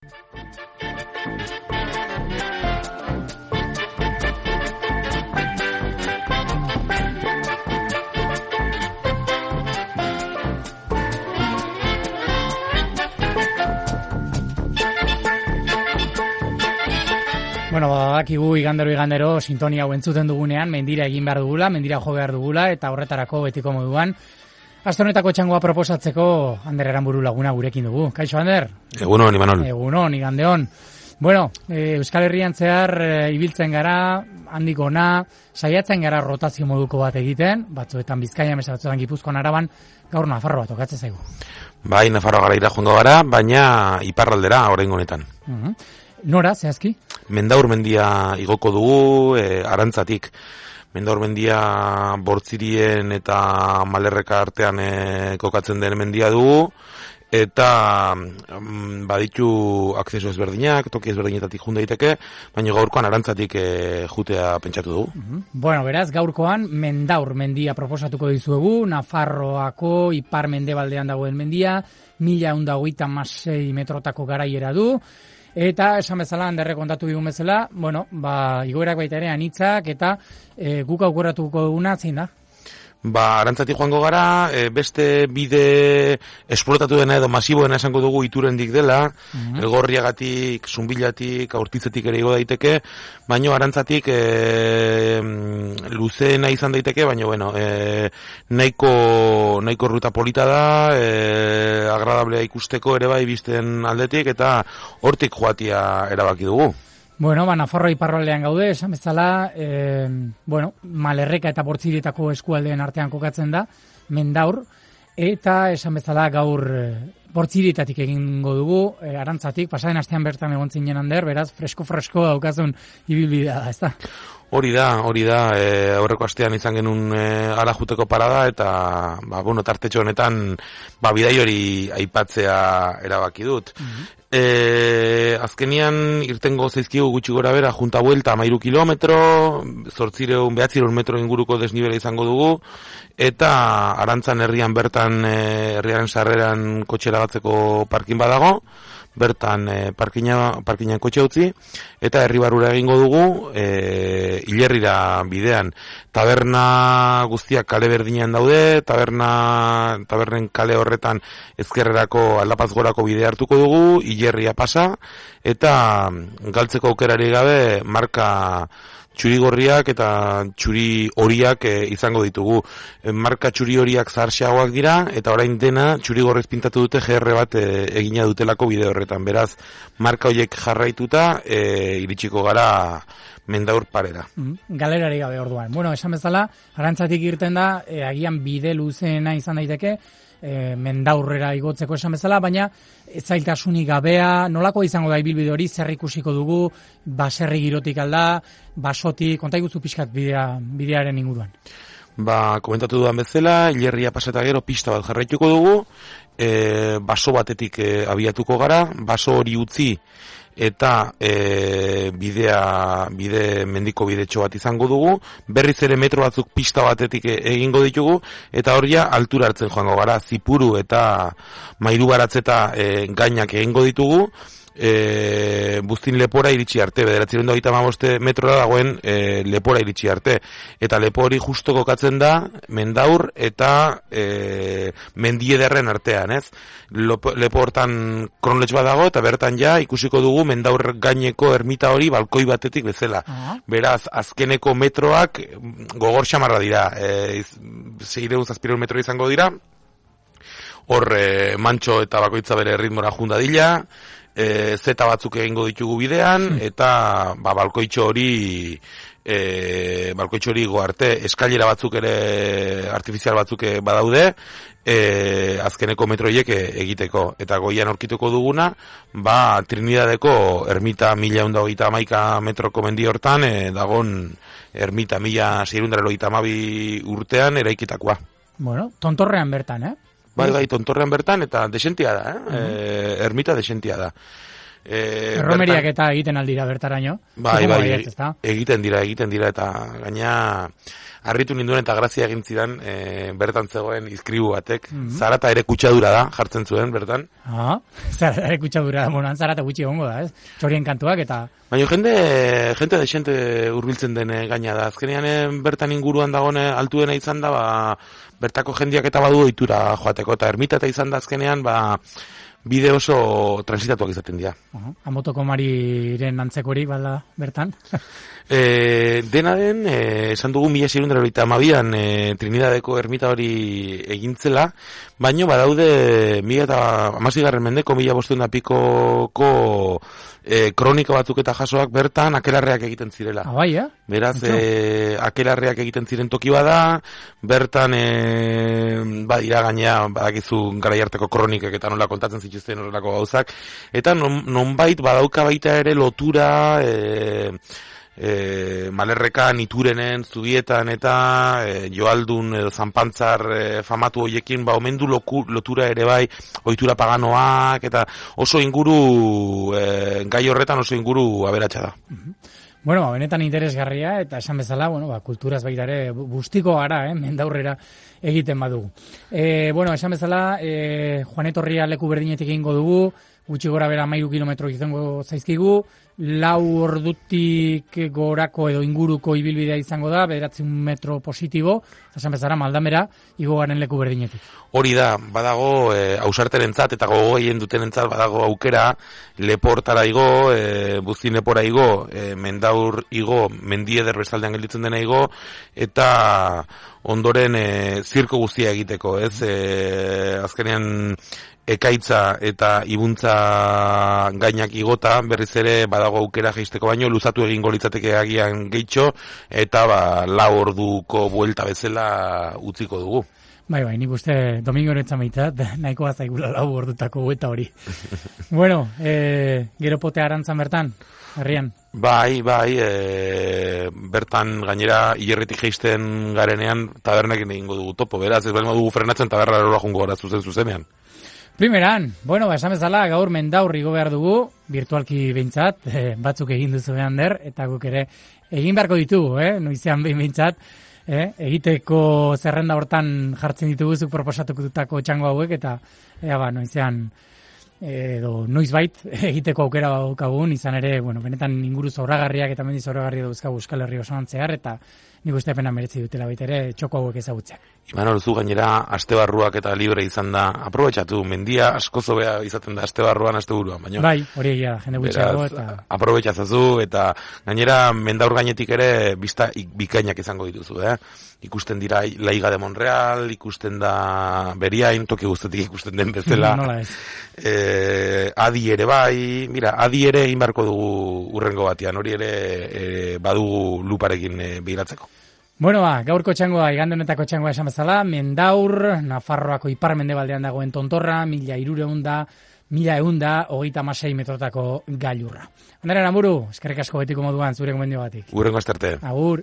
Bueno, badakigu igandero sintonia hau entzuten dugunean, mendira egin behar dugula, mendira jo behar dugula, eta horretarako betiko moduan. Aste honetako txangoa proposatzeko Ander Aranburu laguna gurekin dugu. Kaixo, Ander? Egunon, Imanol. Egunon, igandeon. Bueno, Euskal Herrian zehar ibiltzen gara, handik ona, saiatzen gara rotazio moduko bat egiten, batzuetan Bizkaian, batzuetan Gipuzkoan, Araban, gaur Nafarroa tokatzen zaigu. Bai, Nafarroa gara joango gara, baina iparraldera oraingo honetan. Nora, zehazki? Mendaur mendia igoko dugu, Arantzatik. Mendaur mendia Bortzirien eta Malerreka artean kokatzen den mendia dugu, eta baditu akzeso ezberdinak, toki ezberdinetatik jun daiteke, baina gaurkoan Arantzatik jutea pentsatu dugu. Bueno, beraz, gaurkoan Mendaur mendia proposatuko dizuegu, Nafarroako ipar mendebaldean dagoen mendia, 1126 metrotako garaiera du, eta esan bezala, Anderrek kontatu digun bezala, bueno, igoerak baita ere anitzak, eta guk aukeratuko duguna zein da? Arantzatik joango gara, beste bide esplotatu dena edo masiboena esango dugu Iturendik dela, Elgorriagatik, Zunbilatik, Aurtitzetik ere igo daiteke, baino Arantzatik luzeena izan daiteke, baino bueno, nahiko ruta polita da, agradablea ikusteko ere bai bizten aldetik, eta hortik joatia erabaki dugu. Bueno, Nafarroa iparraldean gaude, esan bezala, Malerreka eta Bortzirietako eskualdeen artean kokatzen da, Mendaur, eta esan bezala gaur Bortzirietatik egingo dugu, Arantzatik, pasaden astean bertan egon zinen Ander, beraz, fresko daukazun ibilbidea da, ezta? Hori da, aurreko astean izan genuen Arajuteko parada, eta, tartetxo honetan, bidai hori aipatzea erabaki dut. Azkenian irtengo zaizkigu gutxi gora bera, junta buelta 13 kilometro, 900 metro inguruko desnibela izango dugu, eta Arantzan herrian bertan, herriaren sarreran kotxera batzeko parkin badago, bertan parkinan kotxe utzi, eta herri barrura egingo dugu, Ilerrira bidean. Taberna guztiak kale berdinean daude, tabernen kale horretan ezkerrerako aldapaz gorako bidea hartuko dugu, Ilerria pasa, eta galtzeko aukerari gabe marka txuri gorriak eta txuri horiak izango ditugu. Marka txuri horiak zaharxeagoak dira, eta orain dena txuri gorrez pintatu dute GR bat egina dutelako bide horretan. Beraz, marka horiek jarraituta, iritsiko gara Mendaur parera. Galerari gabe orduan. Bueno, esan bezala, Arantzatik irten da, agian bide luzeena izan daiteke, Mendaurrera igotzeko esan bezala, baina ez zailtasunik gabea, nolako izango da ibilbide hori, zer ikusiko dugu, baserri girotik alda, basotik, konta iguzu pixkat bidearen inguruan. Komentatu dudan bezala, Ilerria pasata gero pista bat jarraituko dugu, baso batetik abiatuko gara, baso hori utzi, eta mendiko bidetxo bat izango dugu, berriz ere metro batzuk pista batetik egingo ditugu, eta horia altura hartzen joango gara, Zipuru eta Mairu Baratzeta gainak egingo ditugu, Buztin lepora iritsi arte, 925 metrora dagoen lepora iritsi arte, eta lepo hori justo kokatzen da Mendaur eta Mendiederren artean, ez? Lepo hortan kronletx bat dago, eta bertan ja ikusiko dugu Mendaur gaineko ermita hori balkoi batetik bezala. Beraz, azkeneko metroak gogor xamarra dira, 600 metro izango dira, hor mantxo eta bakoitza bere ritmora jundadila, zeta batzuk egingo ditugu bidean, eta balkoitxo hori goarte, eskailera batzuk ere artifizial batzuk badaude, azkeneko metroiek egiteko, eta goian aurkituko duguna, Trinidadeko ermita 1121 metroko mendi hortan, dagon ermita 1682 urtean eraikitakoa. Bueno, tontorrean bertan, Bai, tontorrean bertan, eta desentia da, ermita desentia da. Erromeriak eta egiten aldira bertaraino. Bai, egiten dira, eta gaina harritu ninduen eta grazia egin zidan bertan zegoen izkribu batek. Zarata ere kutsadura da, jartzen zuen bertan. Zarata ere kutsadura da, monan zarata gutxi egongo da, ez? Txorien kantuak eta... Baina jende desente hurbiltzen den gaina da. Azkenean bertan inguruan dagone altuena izan da, bertako jendiak eta badu ohitura joateko, eta ermita eta izan da azkenean, bide oso transitatuak izaten dira. Amotoko Mariren antzekorik bada bertan? Dena den, esan dugu 1692an Trinidadeko ermita hori egintzela, baino badaude 2016 mendeko 1500 pikoko kronika batzuk eta jasoak bertan akelarreak egiten zirela. Bai, Beraz, akelarreak egiten ziren toki bada, bertan badira gainea, badakizu garaiarteko kronikek eta nola kontatzen zituzten horrelako gauzak, eta nonbait badauka baita ere lotura Malerrekan, Iturenen, Zubietan eta Joaldun edo Zanpantzar famatu hoiekin omendu lotura ere bai, ohitura paganoak eta oso inguru gai horretan oso inguru aberatsa da. Bueno, benetan interesgarria eta esan bezala, kulturaz baita ere bustiko gara, mendaurrera egiten badugu. Esan bezala, Joan Etorria leku berdinetik egingo dugu, gutxi gora bera 13 kilometro izango zaizkigu, 4 ordutik gorako edo inguruko ibilbidea izango da, 9 metro positibo, esan bezala Maldamera, igo garen leku berdinetik. Hori da, badago ausarterentzat eta gogo gehien dutenentzat badago aukera, leportara igo, buztin lepora igo, mendaur igo, mendieder bestaldean gelditzen dena igo, eta ondoren zirko guztia egiteko, ez? Azkenean ekaitza eta ibuntza gainak igota, berriz ere badago aukera jaisteko baino, luzatu egingo litzateke agian gehitxo, eta 4 orduko buelta bezala utziko dugu. Bai, nik uste Domingo Eretzan baitat, nahikoa zaigula 4 ordutako buelta hori. Gero potea arantzan bertan, herrian? Bai, bertan gainera hilerritik jaisten garenean tabernekin egingo dugu topo, beraz, ez behar dugu frenatzen taberra erola jungo gara zuzenean. Primeran, esan bezala, gaur mendaur igo behar dugu, virtualki behintzat, batzuk egin duzu behan der, eta guk ere egin beharko ditugu, noizean behintzat, egiteko zerrenda hortan jartzen dituguzuk proposatukutako txango hauek, eta noizean, edo noizbait egiteko aukera daukagun, izan ere, benetan inguru zoragarriak eta mendi zoragarri dauzkagu Euskal Herri osoan zehar, eta nik uste pena meretzi dutela baita ere txoko hauek ezagutzeak. Imanol, zu gainera astebarruak eta libre izan da, aprobetxatu, mendia asko zobea izaten da astebarruan, asteburuan, baina. Bai, hori egia da, jende gutxiago eta... Aprobetxazazu eta gainera mendaur gainetik ere bizta bikainak izango dituzu, Ikusten dira Laiga de Monreal, ikusten da Beriain, toki guztetik ikusten den bezala. Nola ez. Adi ere bai, mira, Adi ere egin beharko dugu urrengo batean, hori ere badugu luparekin biratzeko. Gaurko txangoa, igande honetako txangoa esan bezala, mendaur, Nafarroako ipar-mendebaldean dagoen tontorra, 1100 metrotako gailurra. Ondaren, Amuru, eskerrik asko betiko moduan, zure gomendio batik. Urrengo astarte. Agur.